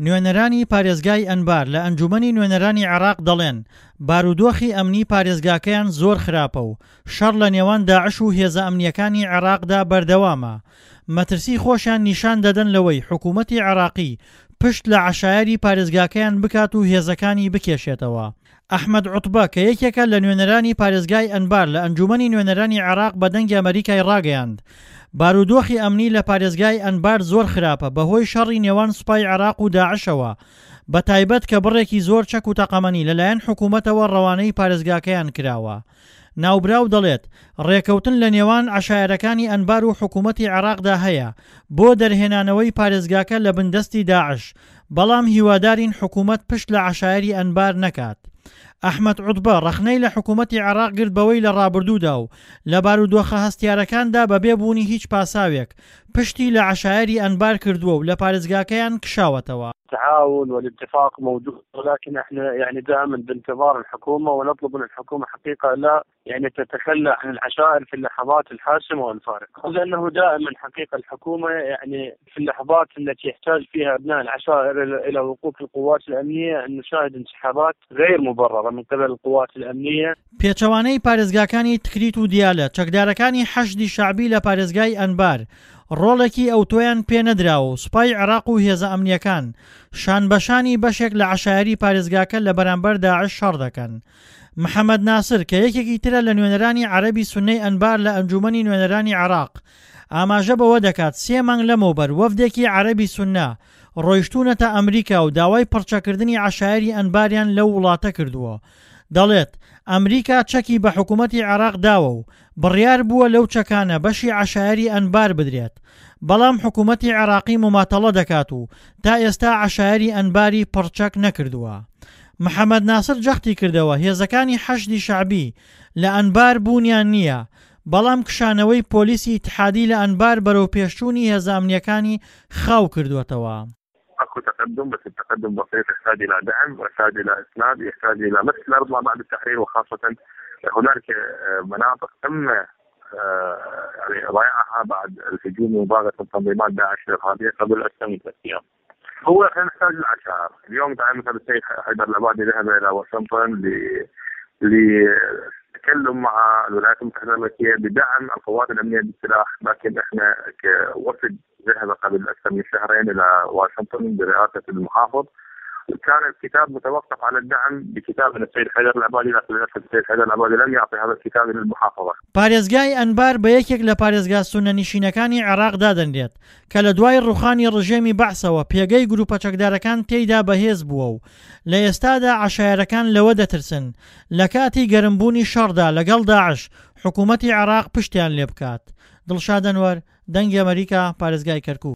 نوێنەرانی پارێزگای ئەنبار لە ئەنجوومەنی نوێنەرانی عێراق دەڵێن، بارودۆخی ئەمنی پارێزگاکەیان زۆر خراپە و شەڕ لە نێوان داعش و هێزە ئەمنییەکانی عێراقدا بەردەوامە، مەترسی خۆشیان نیشان دەدەن لەوەی حکوومەتی عێراقی پشت لە عەشایەری پارێزگاکەیان بکات و هێزەکانی بکێشێتەوە. ئەحمەد عوتبە کە یەکێکە لە نوێنەرانی پارێزگای ئەنبار لە ئەنجوومەنی نوێنەرانی عێراق بە دەنگی ئەمەریکای ڕاگەیاند بارودۆخی ئەمنی لە پارێزگای ئەنبار زۆر خراپە بەهۆی شەڕی نێوان سوپای عێراق و داعشەوە بەتایبەت کە بڕێکی زۆر چەک و تەقەمەنی لەلایەن حکوومەتەوە ڕەوانەی پارێزگاکەیان کراوە. ناوبراو دەڵێت، ڕێکەوتن لە نێوان عەشایەرەکانی ئەنبار و حکوومەتی عێراقدا هەیە بۆ دەرهێنانەوەی پارێزگاکە لە بن دەستی داعش، بەڵام هیوادارین حکوومەت پشت لە عەشایەری ئەنبار نەکات. ئەحمەد عوتبە ڕەخنەی لە حکوومەتی عێراق گرت بەوەی لە ڕابردوودا و لە بارودۆخە هەستیارەکاندا بەبێ بوونی هیچ پاساوێک پشتی لە عەشایەری ئەنبار کردووە و لە پارێزگاکەیان کشاوەتەوە. التعاون والاتفاق موجود ولكن احنا يعني دائما بانتظار الحكومه ونطلب من الحكومه حقيقه لا يعني تتخلى عن العشائر في اللحظات الحاسمه والفارقه لانه دائما حقيقه الحكومه يعني في اللحظات التي يحتاج فيها ابناء العشائر الى وقوف القوات الامنيه ان نشاهد انسحابات غير مبرره من قبل القوات الامنيه. پێچەوانەی پارێزگاکانی تکریت و دیالە، چەکدارەکانی حەشدی شەعبی لە پارێزگای ئەنبار ڕۆڵێکی ئەوتۆیان پێنەدراوە و سوپای عێراق و هێزە ئەمنییەکان شانبەشانی بەشێک لە عەشایەری پارێزگاکە لە بەرامبەر داعش شەڕ دەکەن. محەمەد ناسر کە یەکێکی ترە لە نوێنەرانی عەرەبی سوننەی ئەنبار لە ئەنجوومەنی نوێنەرانی عێراق ئاماژە بەوە دەکات سێ مانگ لەمەوبەر وەفدێکی عەرەبی سوننە ڕۆیشتوونەتە ئەمریکا و داوای پڕچەکردنی عەشایەری ئەنباریان لەو وڵاتە کردووە. دەڵێت، ئەمریکا چەکی بە حکومەتی عێراق داوە و بڕیار بووە لەو چەکانە بەشی عەشایەری ئەنبار بدرێت، بەڵام حکومەتی عێراقی موماتەڵە دەکات و تا ئێستا عەشایەری ئەنباری پڕچەک نەکردووە. محەمەد ناسر جەختی کردەوە، هێزەکانی حەشدی شەعبی لە ئەنبار بوونیان نییە، بەڵام کشانەوەی پۆلیسی ئیتحادی لە ئەنبار بەرەوپێشچوونی هێزە ئەمنییەکانی خاو کردووەتەوە. اكو تقدم بس التقدم بسيط يحتاج الى دعم ويحتاج الى اسناد يحتاج الى مسح الارض ما بعد التحرير وخاصه هنالك آه، مناطق تم آه، يعني ضياعها بعد الهجوم ومباغته تنظيمات داعش الارهابيه قبل اكثر من ثلاث ايام. هو احنا نحتاج العشائر، اليوم تعال مثلا السيد حيدر العبادي ذهب الى واشنطن ل للتكلم مع الولايات المتحده الامريكيه بدعم القوات الامنيه بالسلاح، لكن احنا كوفد ذهب قبل اكثر من شهرين الى واشنطن برئاسه المحافظ كان الكتاب متوقف على الدعم بكتاب من السيد حيدر العبادي لكن للاسف السيد حيدر العبادي لم يعطي هذا الكتاب الى المحافظه. پارێزگای ئەنبار بە یەکێک لە پارێزگا سوننەنشینەکانی عێراق دادەنرێت کە لە دوای ڕوخانی ڕژێمی بەعسەوە پێگەی گروپە چەکدارەکان تێیدا بەهێز بووە و لە ئێستادا عەشایەرەکان لەوە دەترسن لە کاتی گەرمبوونی شەڕدا لەگەڵ داعش حکوومەتی عێراق پشتیان لێ بکات. دڵشاد ئەنوەر، دەنگی ئەمەریکا، پارێزگای کەرکوک.